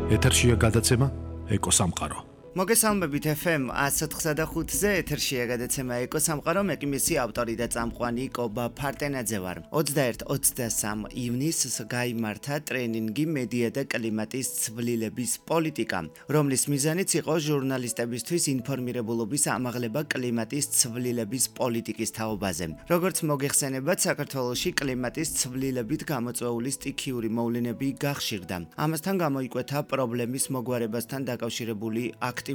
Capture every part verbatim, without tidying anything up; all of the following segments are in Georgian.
ეთერშია გადაცემა ეკოსამყარო. მოგესალმებით ეფ ემ one oh five-ზე ეთერშია გადაცემა ეკოსამყარო, მე კი მისი ავტორი და წამყვანი კობა ფარტენაძე ვარ. ოცდაერთი ოცდასამი ივნისს გაიმართა ტრენინგი მედია და კლიმატის ცვლილების პოლიტიკა, რომლის მიზანიც იყო ჟურნალისტებისთვის ინფორმირებულობის ამაღლება კლიმატის ცვლილების პოლიტიკის თაობაზე. Როგორც მოგეხსენებათ, საქართველოში კლიმატის ცვლილებით გამოწვეული სტიქიური მოვლენები გახშირდა. ამასთან გამოიკვეთა პრობლემის მოგვარებასთან დაკავშირებული აქტივობები.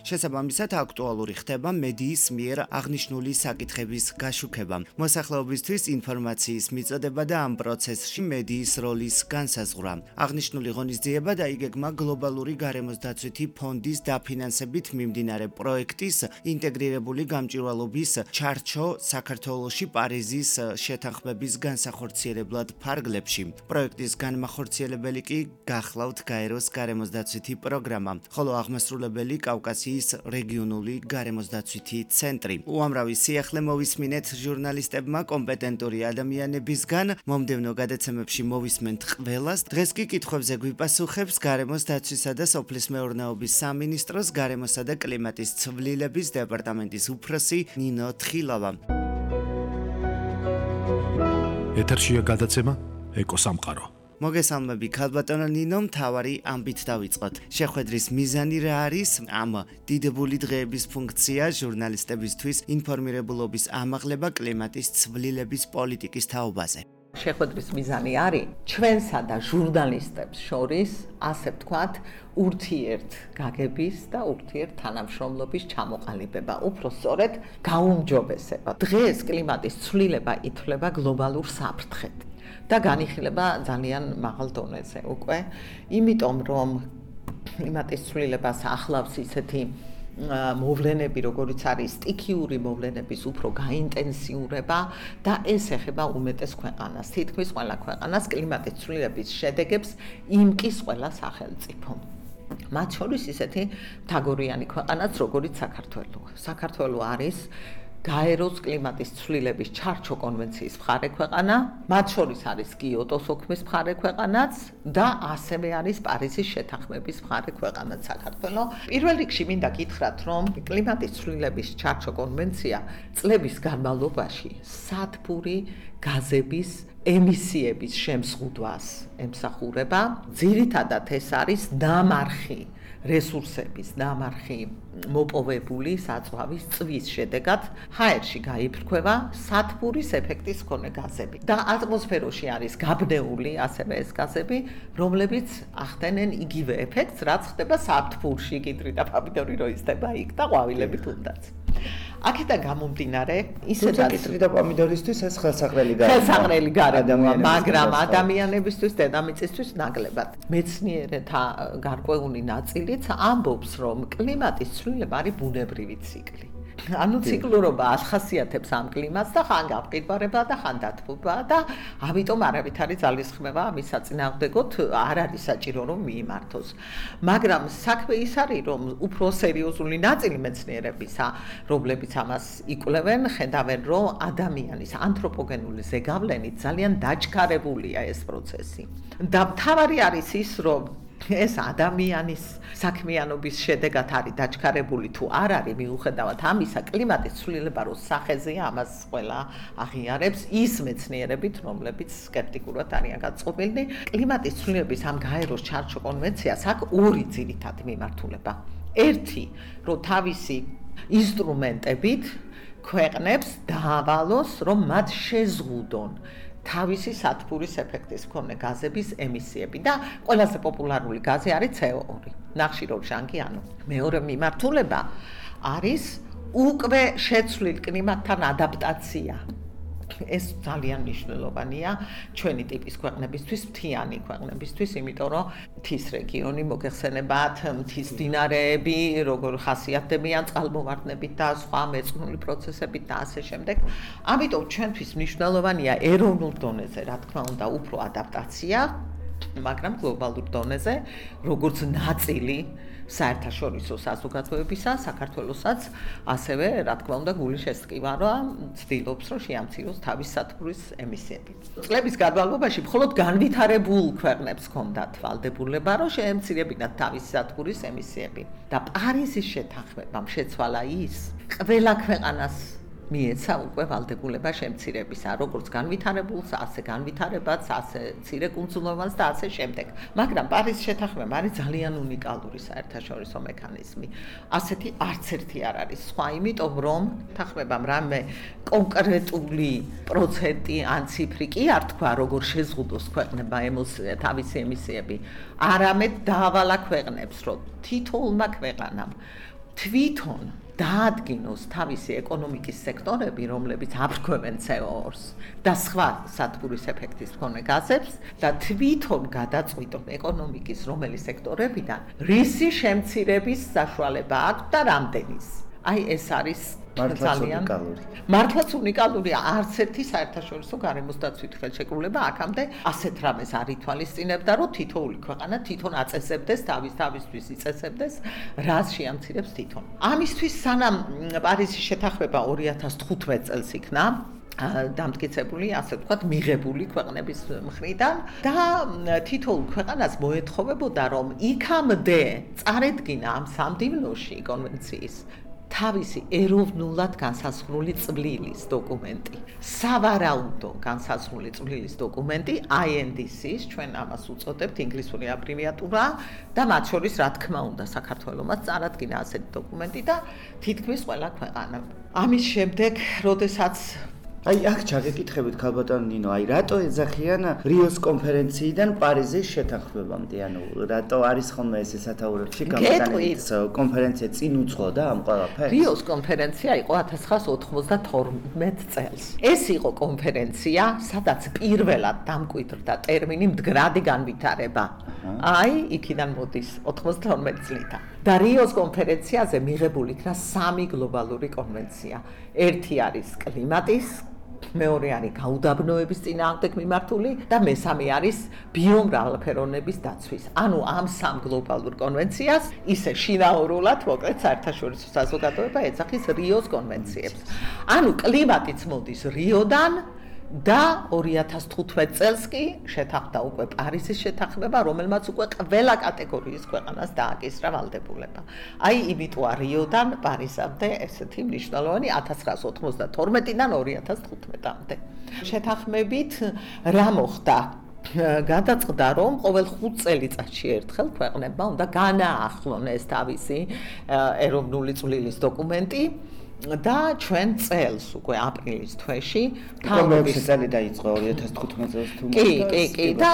შესაბამისად, აქტუალური ხდება მედიის მიერ აღნიშნული საკითხების გაშუქება, მოსახლეობისთვის ინფორმაციის მიწოდება და ამ პროცესში მედიის როლის განსაზღვრა. აღნიშნული ღონისძიება დაიგეგმა გლობალური გარემოსდაცვითი ფონდის დაფინანსებით მიმდინარე პროექტის ინტეგრირებული გამჭვირვალობის ჩარჩო საქართველოში პარიზის შეთანხმების განსახორციელებლად ფარგლებში. პროექტის განმახორციელებელი კი გახლავთ გაეროს გარემოსდაცვითი პროგრამა, ხოლო აღმასრულებელი კავკასიის რეგიონული გარემოსდაცვითი ცენტრი. უამრავი სიახლე მოვისმინეთ ჟურნალისტებმა კომპეტენტური ადამიანებისგან, მომდევნო გადაცემებში მოვისმენთ ყველას. დღეს კი კითხვებზე გვიპასუხებს გარემოს დაცვისა და სოფლის მეურნეობის სამინისტროს გარემოსა და კლიმატის ცვლილების დეპარტამენტის უფროსი ნინო თხილავა. ეთერშია გადაცემა ეკოსამყარო. მოგესალმები ქალბატონო ნინო, მთავარი ამბით დავიწყოთ. შეხვედრის მიზანი რა არის? ამ დიდებული დღეების ფუნქცია ჟურნალისტებისთვის ინფორმირებულობის ამაღლება კლიმატის ცვლილების პოლიტიკის თაობაზე. შეხვედრის მიზანი არის ჩვენსა და ჟურნალისტებს შორის, ასე ვთქვათ, ურთიერთგაგების და ურთიერთთანამშრომლობის ჩამოყალიბება, უფრო სწორედ გაუმჯობესება. დღეს კლიმატის ცვლილება ითვლება გლობალურ საფრთხედ და განიხილება ძალიან მაღალ დონეზე უკვე, იმიტომ რომ კლიმატის ცვლილებას ახლავს ისეთი მოვლენები, როგორიც არის სტიქიური მოვლენების უფრო გაინტენსიურება და ეს ეხება უმეტეს ქვეყანას. თითქმის ყველა ქვეყანას კლიმატის ცვლილების შედეგებს იმკის ყველა სახელმწიფო. მათ შორის ისეთი მთაგორიანი ქვეყანაც, როგორიც საქართველო. საქართველო არის გაეროს კლიმატის ცვლილების ჩარჩო კონვენციის მხარე ქვეყანა, მათ შორის არის კიოტოს ოქმის მხარე ქვეყანაც და ასევე არის პარიზის შეთანხმების მხარე ქვეყანაც საქართველო. პირველ რიგში მინდა გითხრათ, რომ კლიმატის ცვლილების ჩარჩო კონვენცია წლების განმავლობაში სათბური გაზების ემისიების შემზღუდვას ემსახურება. ძირითადად ეს არის დამარხი რესურსების დამარხი მოპოვებული საწვავის წვის შედეგად ჰაერში გაიფრქვევა სათბურის ეფექტის მქონე გაზები და ატმოსფეროში არის გაბნეული ასევე ეს გაზები, რომლებიც ახდენენ იგივე ეფექტს, რაც ხდება საფრთხურში, კიტრი და პომიდორი რო იზრდება იქ და ყვავილები თუნდაც. აქედან გამომდინარე, ისედაც კიტრი და პომიდორისთვის ეს ხელსაყრელი გარემოა. ხელსაყრელი გარემოა, მაგრამ ადამიანებისთვის, დედამიწისთვის ნაკლებად. მეცნიერთა გარკვეული ნაწილიც ამბობს, რომ კლიმატის ცვლილება არის ბუნებრივი ციკლი. ანუ ციკლურობა ახასიათებს ამ კლიმატს და ხან გამყინვარება და ხან დათბობა და ამიტომ არავითარი ძალისხმევა ამის საწინააღმდეგოდ არ არის საჭირო რომ მიიმართოს. მაგრამ საქმე ის არის, რომ უფრო სერიოზული ნაწილი მეცნიერებისა, რომლებიც ამას იკვლევენ, ხედავენ, რომ ადამიანის ანთროპოგენული ზეგავლენით ძალიან დაჩქარებულია ეს პროცესი. და მთავარი არის ის, რომ ეს ადამიანის საქმიანობის შედეგად არის დაჩქარებული თუ არ არის, მიუხედავად ამისა, კლიმატის ცვლილება რო სახეზეა, ამას ყველა აღიარებს ის მეცნიერებით, რომლებიც სკეპტიკურად არიან გაწყობილნი. კლიმატის ცვლილების ამ გაეროს ჩარჩო კონვენციას აქვს ორი ძირითადი მიმართულება. ერთი, რომ თავისი ინსტრუმენტებით ქვეყნებს დაავალოს, რომ მათ შეზღუდონ თავისი სათბურის ეფექტის მქონე გაზების ემისიები და ყველაზე პოპულარული გაზი არის ცე ო ორი, ნახშირორჟანგიანი. მეორე მიმართულება არის უკვე შეცვლილ კლიმატთან ადაპტაცია. ეს ძალიან მნიშვნელოვანია ჩვენი ტიპის ქვეყნებისთვის, მთიანი ქვეყნებისთვის, იმიტომ რომ მთის რეგიონი მოგეხსენებათ, მთის მდინარეები, როგორ ხასიათდებიან წყალმოვარდნებით და სხვა მეწყნული პროცესებით და ასე შემდეგ. ამიტომ ჩვენთვის მნიშვნელოვანია ეროვნულ დონეზე, რა თქმა უნდა, უფრო ადაპტაცია მაგრამ გლობალურ დონეზე როგორც ნაწილი საერთაშორისო საზოგადოებისა, საქართველოსაც ასევე, რა თქმა უნდა, გული შესტკივარვა ცდილობს, რომ შეამციროს თავის სათბურის ემისიები. წლების განმავლობაში მხოლოდ განვითარებულ ქვეყნებს ჰქონდათ ვალდებულება, რომ შეემცირებინათ თავის სათბურის ემისიები. და პარიზის შეთანხმებამ შეცვალა ის, ყველა ქვეყანას მიეცა უკვე ვალდებულება შემცირებისა, როგორც განვითარებულს, ასე განვითარებაც, ასე მცირე კუნძულოვანს და ასე შემდეგ. მაგრამ პარიზის შეთანხმება არის ძალიან უნიკალური საერთაშორისო მექანიზმი. ასეთი არც ერთი არ არის სხვა, იმიტომ რომ თანხმებამ რამე კონკრეტული პროცენტი ან ციფრი კი არ თქვა, როგორ შეზღუდოს ქვეყნებმა თავისი ემისიები, არამედ დაავალა ქვეყნებს, რომ თითოეულმა ქვეყანამ თვითონ დაადგინოს თავისი ეკონომიკის სექტორები, რომლებიც აფრქვევენ C O two-ს და სხვა სათბურის ეფექტის მქონე გაზებს და თვითონ გადაწყვიტონ ეკონომიკის რომელი სექტორებიდან რისი შემცირების საშუალება აქვს და რამდენის. აი ეს არის ძალიან მართლაც უნიკალური არც ერთი საერთაშორისო გარემოსდაცვით ხელშეკრულება აქამდე ასეთ რამეს არ ითვალისწინებდა, რომ თითოეული ქვეყანა თვითონ აწესებდეს თავის თავისთვის იწესებდეს, რას შეამცირებს თვითონ. ამისთვის სანამ პარიზის შეთანხმება ორი ათას თხუთმეტ წელს იქნა დამტკიცებული, ასე ვთქვათ, მიღებული ქვეყნების მხრიდან და თითოეულ ქვეყანას მოეთხოვებოდა, რომ იქამდე წარედგინა ამ სამდივნოში კონვენციის თავისი ეროვნულად განსაზღვრული წვლილის დოკუმენტი. სავარაუდო განსაზღვრული წვლილის დოკუმენტი I N D C-ს, ჩვენ ამას უწოდებთ, ინგლისური აბრივიატურა და მათ შორის რა თქმა უნდა საქართველოსაც წარადგინა ასეთი დოკუმენტი და თითქმის ყველა ქვეყანა. ამის შემდეგ, როდესაც აი აქ ჩაგეკითხებით ქალბატონ ნინო, აი რატო ეძახიან რიოს კონფერენციიდან პარიზის შეთანხმებამდე, ანუ რატო არის ხოლმე ეს სათაურებში გამოტანილი კონფერენცია წინ უძღოდა ამ ყველაფერს? რიოს კონფერენცია იყო ათას ცხრაასა ოთხმოცდათორმეტ წელს. ეს იყო კონფერენცია, სადაც პირველად დამკვიდრდა ტერმინი მდგრადი განვითარება. აი, იქიდან მოდის ოთხმოცდათორმეტ წლიდან. და რიოს კონფერენციაზე მიღებული იქნა სამი გლობალური კონვენცია. ერთი არის კლიმატის, მეორე არის გაუდაბნოების წინააღმდეგ მიმართული და მესამე არის ბიომრავალფეროვნების დაცვის. ანუ ამ სამ გლობალურ კონვენციას ისე შინაურულად მოკლედ საერთაშორისო საზოგადოება ეძახის რიოს კონვენციებს. ანუ კლიმატიც მოდის რიოდან და ორი ათას თხუთმეტ წელს კი შეთანხმდა უკვე პარიზის შეთანხმება, რომელმაც უკვე ყველა კატეგორიის ქვეყანას დააკისრა ვალდებულება. აი, იმიტოა რიოდან პარიზამდე ესეთი მნიშვნელოვანი ათას ცხრაასა ოთხმოცდათორმეტიდან ორი ათას თხუთმეტამდე. შეთანხმებით რა მოხდა? გადაწყდა, რომ ყოველ ხუთ წელიწადში ერთხელ ქვეყნებმა უნდა განაახლონეს თავისი ეროვნული წვლილის დოკუმენტი. და ჩვენ წელს უკვე აპრილის თვეში თავრობის წელი დაიწყო ორი ათას თხუთმეტ წელს თუ კი, კი, კი და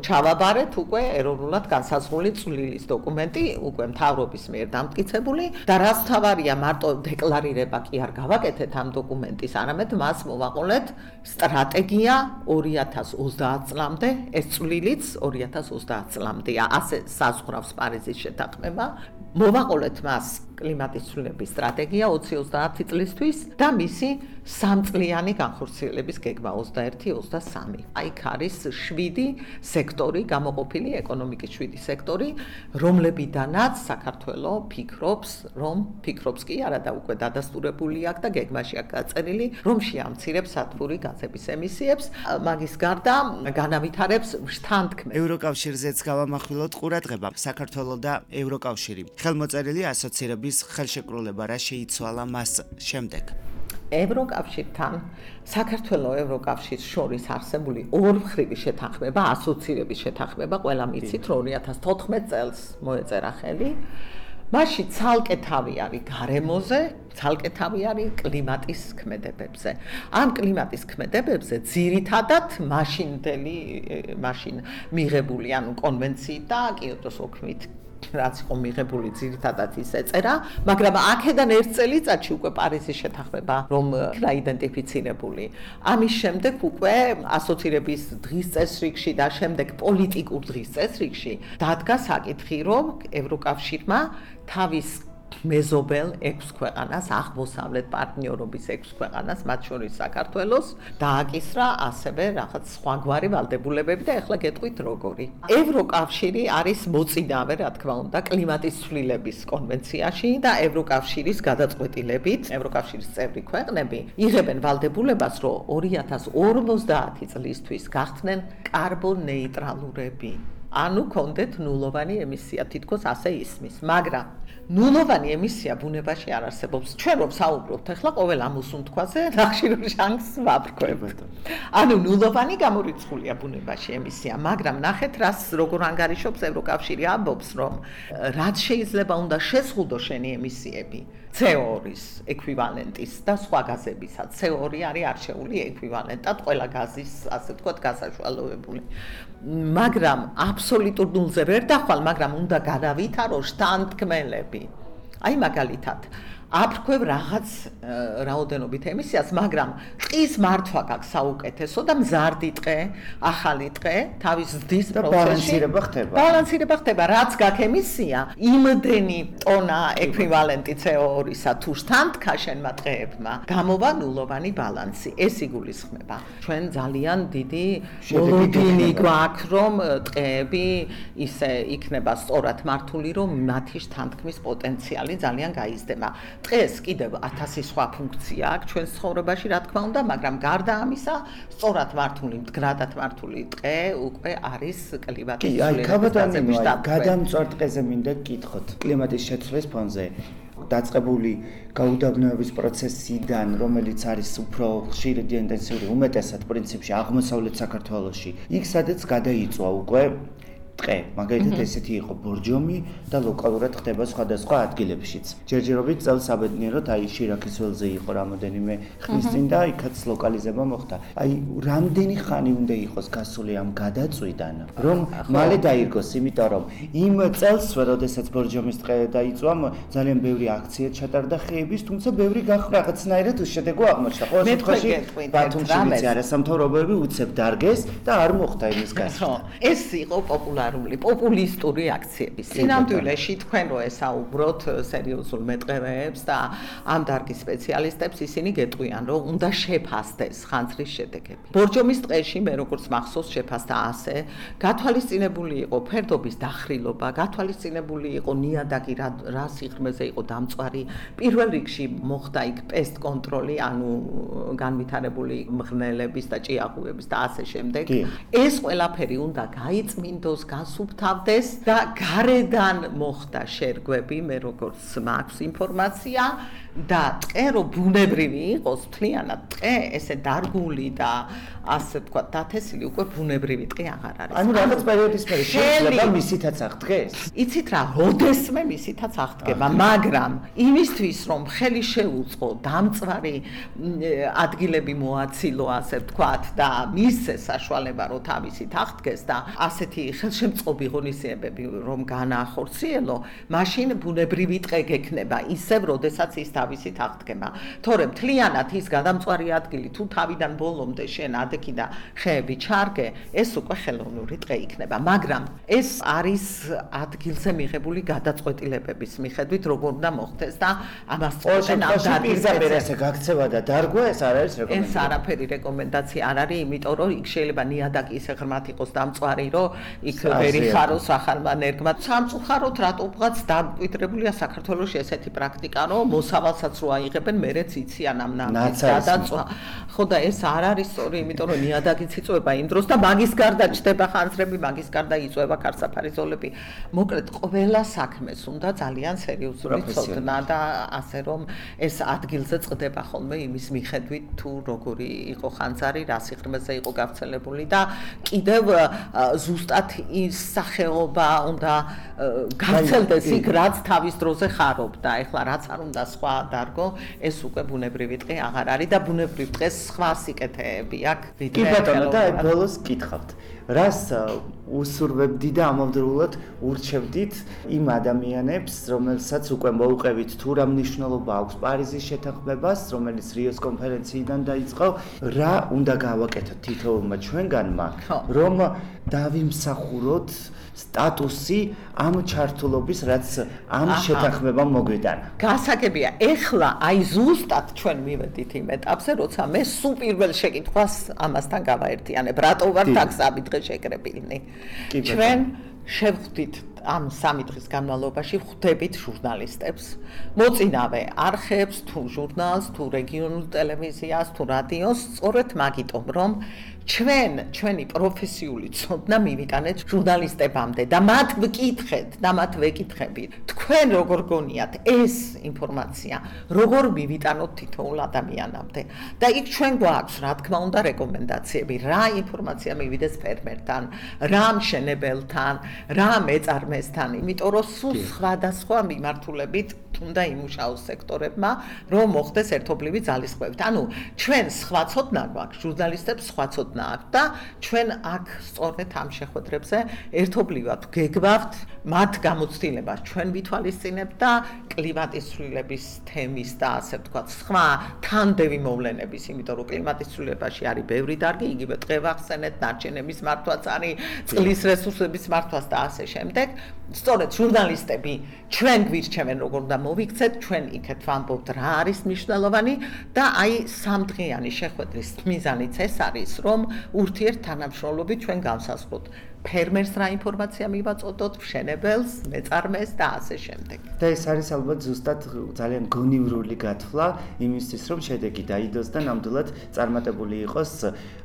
ჩავაბარეთ უკვე ეროვნულად განსაზღვრული წვლილის დოკუმენტი, უკვე მთავრობის მიერ დამტკიცებული და რაც თავარია მარტო დეკლარირება კი არ გავაკეთეთ ამ დოკუმენტის, არამედ მას მოვაყოლეთ სტრატეგია ორი ათას ოცდაათ წლამდე, ეს წვლილიც ორი ათას ოცდაათ წლამდეა, ასე საზღვრავს პარიზის შეთანხმება. მოვაყოლეთ მას კლიმატის ცვლილების სტრატეგია ოცი ოცდაათი წლისთვის და მისი სამწლიანი განხორციელების გეგმა ოცდაერთი ოცდასამი. აი, არის შვიდი სექტორი, გამოყოფილი ეკონომიკის შვიდი სექტორი, რომლებიდანაც საქართველო ფიქრობს, რომ ფიქრობს კი არა და უკვე დადასტურებული აქვს და გეგმაში აქვს გაწერილი, რომ შეამცირებს სათბური გაზების ემისიებს, მაგის გარდა განავითარებს შთანთქმებს. ევროკავშირზეც გავამახვილოთ ყურადღება, საქართველო და ევროკავშირი. ხელმოწერილი ასოცირების ხელშეკრულება რა შეიცვალა მას შემდეგ? ევროკავშირთან საქართველოს ევროკავშირის შორის არსებული ორმხრივი შეთანხმება, ასოცირების შეთანხმება, ყველა მიცით, რომ ორი ათას თოთხმეტ წელს მოეწერა ხელი. მასში ცალკე თავი არის გარემოზე, ცალკე თავი არის კლიმატის ქმედებებზე. ამ კლიმატის ქმედებებზე ძირითადად მაშინდელი, მაშინ მიღებული, ანუ კონვენციით და კიოტოს ოქმით რაც იყო მიღებული ძირითადად ის ეწერა, მაგრამ აქედან ერთ წელიწადში უკვე პარიზის შეთანხმება რომ იქნა იდენტიფიცირებული. ამის შემდეგ უკვე ასოცირების დღის წესრიგში და შემდეგ პოლიტიკურ დღის წესრიგში დადგა საკითხი, რომ ევროკავშირმა თავის მეზობელ ექვს ქვეყანას, აღმოსავლეთ პარტნიორობის ექვს ქვეყანას, მათ შორის საქართველოს, დააკისრა ასევე რაღაც სხვაგვარი ვალდებულებები და ეხლა გეტყვით როგორი. ევროკავშირი არის მოწინავე, რა თქმა უნდა, კლიმატის ცვლილების კონვენციაში და ევროკავშირის გადაწყვეტილებით, ევროკავშირის წევრი ქვეყნები იღებენ ვალდებულებას, რომ ორი ათას ორმოცდაათი წლისთვის გახდნენ კარბონეიტრალურები. ანუ კონდეთ ნულოვანი ემისია, თითქოს ასე ისმის, მაგრამ ნულოვანი ემისია ბუნებაში არ არსებობს. ჩვენ რომ საუბრობთ ახლა ყოველ ამოსუნთქვაზე, ნახშირორ ჟანგს ვაბრკვევთ. ანუ ნულოვანი გამორიცხულია ბუნებაში ემისია, მაგრამ ნახეთ რას როგორ ანგარიშობს ევროკავშირი ამბობს, რომ რაც შეიძლება უნდა შეზღუდო შენი ემისიები ცე ორი-ის ეკვივალენტის და სხვა გაზებისა. ცე ორი არის არჩეული ეკვივალენტად ყველა გაზის, ასე ვთქვათ, გასაშვალოებული. მაგრამ აბსოლუტურ ნულზე ვერ დახვალ, მაგრამ უნდა გადავითარო შთანთქმელები. აი მაგალითად, აფრქვევ რაღაც რაოდენობით ემისიას, მაგრამ ტყის მართვა გაქვს საუკეთესო და მზარდი ტყე, ახალი ტყე, თავის ზრდის პროცესში ბალანსირება ხდება. ბალანსირება ხდება, რაც გაქვს ემისია, იმდენი ტონა ეკვივალენტი ცე ორი-ისა თუ შთანთქა შენმა ტყეებმა, გამოვა ნულოვანი ბალანსი. ეს იგულისხმება. ჩვენ ძალიან დიდი მოლოდინი გვაქვს, რომ ტყეები ისე იქნება სწორად მართული, რომ მათი შთანთქმის პოტენციალი ძალიან გაიზრდება. დღეს კიდევ ათასი სხვა ფუნქცია აქვს ჩვენს ცხოვრებაში, რა თქმა უნდა, მაგრამ გარდა ამისა, სწორად მართული, მდგრადად მართული ტყე უკვე არის კლიმატის ცვლილების გადამწვარ ტყეზე მინდა გკითხოთ. კლიმატის შეცვლის ფონზე დაწყებული გაუდაბნოების პროცესიდან, რომელიც არის უფრო ხშირი და ინტენსიური, უმეტესად პრინციპში აღმოსავლეთ საქართველოში, იქ სადაც გადაიწვა უკვე ტყე, მაგალითად ესეთი იყო ბორჯომი და ლოკალურად ხდება სხვადასხვა ადგილებშიც. ჯერჯერობით წელს საბედნიეროდ აი შირაქის ველზე იყო რამოდენიმე ხნის წინ და იქაც ლოკალიზება მოხდა. აი რამდენი ხანი უნდა იყოს გასული ამ გადაწვიდან, რომ მალე დაირგოს, იმიტომ რომ იმ წელს, როდესაც ბორჯომის ტყე დაიწვა, ძალიან ბევრი აქცია ჩატარდა ხეების, თუმცა ბევრი გახდა რაღაცნაირად უშედეგო აღმოჩნდა. ყოველ შემთხვევაში ბათუმში ვიცი არასამთავრობოები უცებ დარგეს და არ მოხდა იმის გასვლა. ეს იყო პოპულარული პოპულისტური აქციები. სინამდვილეში თქვენ რო ესაუბროთ სერიოზულ მეტყევეებს და ამ დარგის სპეციალისტებს, ისინი გეტყვიან, რომ უნდა შეფასდეს ხანძრის შედეგები. ბორჯომის ტყეში მე როგორც მახსოვს შეფასდა ასე, გათვალისწინებული იყო ფერდობის დახრილობა, გათვალისწინებული იყო ნიადაგი რა სიღრმეზე იყო დამწვარი. პირველ რიგში მოხდა იქ პესტ კონტროლი, ანუ განვითარებული მღრღნელების და ჭიაყუების და ასე შემდეგ. ეს ყველაფერი უნდა გაიწმინდოს, გასუფთავდეს და გარედან მოხდა შერგვები, მე როგორც მაქვს ინფორმაცია და ტყე რო ბუნებრივი იყოს, მთლიანად ტყე ესე დარგული და ასე ვთქვათ, დათესილი უკვე ბუნებრივი ტყე აღარ არის. ანუ რაღაც პერიოდის მერე შეიძლება მისითაც აღდგეს? იცით რა, როდესმე მისითაც აღდგება, მაგრამ იმისთვის რომ ხელი შეუწყო, დამწვარი ადგილები მოაცილო, ასე ვთქვათ და მისცე საშუალება რომ თავისით აღდგეს და ასეთი ხელშემწყობი ღონისძიებები რომ განაახორციელო, მაშინ ბუნებრივი ტყე გექნება, ისევ როდესაც ის თავისით აღდგება. თორემ მთლიანად ის გადამწვარი ადგილი თუ თავიდან ბოლომდე შენ ადექი და ხეები ჩარგე, ეს უკვე ხელოვნური ტყე იქნება, მაგრამ ეს არის ადგილზე მიღებული გადაწყვეტილებების მიხედვით, როგორ უნდა მოხდეს და ამას წოდენ ამ დარგზე გაქცევა და დარგვა ეს არ არის რეკომენდაცია. ეს არაფერი რეკომენდაცია არ არის, იმიტომ რომ იქ შეიძლება ნიადაგი ისე ღრმად იყოს დამწვარი, რომ იქ ვერ იხაროს ახალმა ენერგმა. სამწუხაროდ რატომღაც დამკვიდრებულია საქართველოში ესეთი პრაქტიკა, რომ მოსავალსაც რო აიღებენ, მერეც იციან ამ ნამის გადაწვა. ხო და ეს არ არის სწორი, იმიტომ რომ ნიადაგიც იწვება იმ დროს და მაგის გარდა ჩდება ხანძრები, მაგის გარდა იწვება ქარსაფარი ზოლები. მოკლედ, ყველა საქმეს უნდა ძალიან სერიოზული ცოდნა და ასე რომ ეს ადგილზე წყდება ხოლმე იმის მიხედვით, თუ როგორი იყო ხანძარი, რა სიღრმეზე იყო გავრცელებული და კიდევ ზუსტად ის სახეობა უნდა გავრცელდეს იქ, რაც თავის დროზე ხარობდა. ეხლა რაც არ უნდა სხვა დარგო, ეს უკვე ბუნებრივი ტყე აღარ არის და ბუნებრივ ტყეს სხვა სიკეთეები აქვს. კი ბატონო, და ბოლოს გითხავთ. რას უსურვებდი და ამავდროულად ურჩევდით იმ ადამიანებს, რომელსაც უკვე მოუყევით თუ რა მნიშვნელობა აქვს პარიზის შეთანხმებას, რომელიც რიოს კონფერენციიდან დაიწყო, რა უნდა გავაკეთოთ თითოეულმა ჩვენგანმა, რომ დავიმსახუროთ სტატუსი ამ ჩართულობის, რაც ამ შეთანხმებამ მოგვიტანა. გასაგებია, ეხლა აი ზუსტად ჩვენ მივედით იმ ეტაპზე, როცა მე სულ პირველ შეკითხვას ამასთან გავაერთიანებ, რატო ვარ აქ სამი დღე შეკრებილნი. ჩვენ შევხვდით ამ სამი დღის განმავლობაში ხვდებით ჟურნალისტებს, მოწინავე არხებს, თუ ჟურნალს, თუ რეგიონულ ტელევიზიას, თუ რადიოს, სწორედ მაგიტომ, რომ ჩვენ ჩვენი პროფესიული ცოდნა მივიტანეთ ჟურნალისტებამდე და მათ ვკითხეთ და მათ ვეკითხებით. თქვენ როგორ გონიათ ეს ინფორმაცია, როგორ მივიტანოთ თითოეულ ადამიანამდე? და იქ ჩვენ გვაქვს, რა თქმა უნდა, რეკომენდაციები, რა ინფორმაცია მივიდეს ფერმერთან, რა მშენებელთან, რა მეწარმესთან, იმიტომ რომ სულ სხვადასხვა მიმართულებით უნდა იმუშაოს სექტორებმა, რომ მოხდეს ერთობლივი ძალისხმევით. ანუ ჩვენ სხვა ცოდნა გვაქვს, ჟურნალისტებს სხვა ცოდნა და ჩვენ აქ სწორედ ამ შეხვედრებზე ერთობლივად გეგმავთ მათ გამოცდილებას ჩვენ ვითვალისწინებთ და კლიმატის ცვლილების თემის და ასე ვთქვათ სხვა თანდევი მოვლენების, იმიტომ რომ კლიმატის ცვლილებაში არის ბევრი დარგი, იგივე ტყევახსენეთ, ნარჩენების მართვაც არის, წყლის რესურსების მართვაც და ასე შემდეგ. სწორედ ჟურნალისტები ჩვენ გვირჩევენ როგორ უნდა მოვიქცეთ, ჩვენ იქეთ ვამბობთ რა არის მნიშვნელოვანი და აი სამდღიანი შეხვედრის მიზანიც ეს არის, რომ ურთიერთთანამშრომლობით ჩვენ განსაზღვროთ ფერმერს რა ინფორმაცია მივაწოდოთ, მშენებელს, მეწარმეს და ასე შემდეგ. და ეს არის ალბათ ზუსტად ძალიან გონივრული გათვლა იმისთვის, რომ შედეგი დაიდოს და ნამდვილად წარმატებული იყოს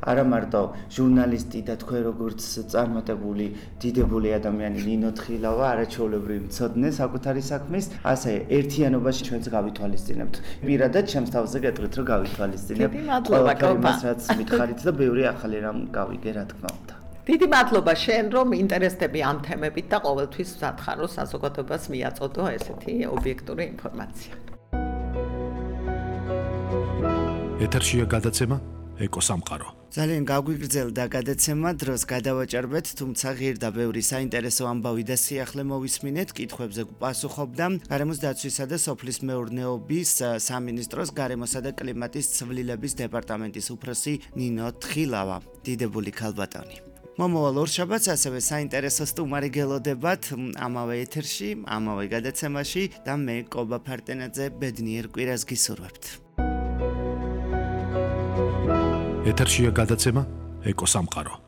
არა მარტო ჟურნალისტი და თქვენ როგორც წარმატებული დიდებული ადამიანი ნინო თხილავა, არაჩვეულებრივი მცოდნე საკუთარი საქმის, ასე ერთიანობაში ჩვენც გავითვალისწინებთ. პირადად ჩემს თავზე გეტყვით, რომ გავითვალისწინებ ყველაფერს, რაც მითხარით და ბევრი ახალი რამ გავიგე, რა თქმა უნდა. დიდი მადლობა შენ, რომ ინტერესდები ამ თემებით და ყოველთვის ვსათხარ, რომ საზოგადოებას მიაწოდო ესეთი ობიექტური ინფორმაცია. ეთერშია გადაცემა ეკოსამყარო. ძალიან გაგვიგრძელდა გადაცემა, დროს გადავაჭარბეთ, თუმცა ღირ და ბევრი საინტერესო ამბავი და სიახლე მოვისმინეთ, კითხვებზე გპასუხობდა გარემოს დაცვისა და სოფლის მეურნეობის სამინისტროს გარემოსა და კლიმატის ცვლილების დეპარტამენტის უფროსი ნინო თხილავა. დიდებული ქალბატონი. მომავალ ორშაბათს ასევე საინტერესო სტუმარი გელოდებათ ამავე ეთერში, ამავე გადაცემაში და მე კობა ფარტენაძე ბედნიერ კვირას გისურვებთ. ეთერშია გადაცემა ეკოსამყარო.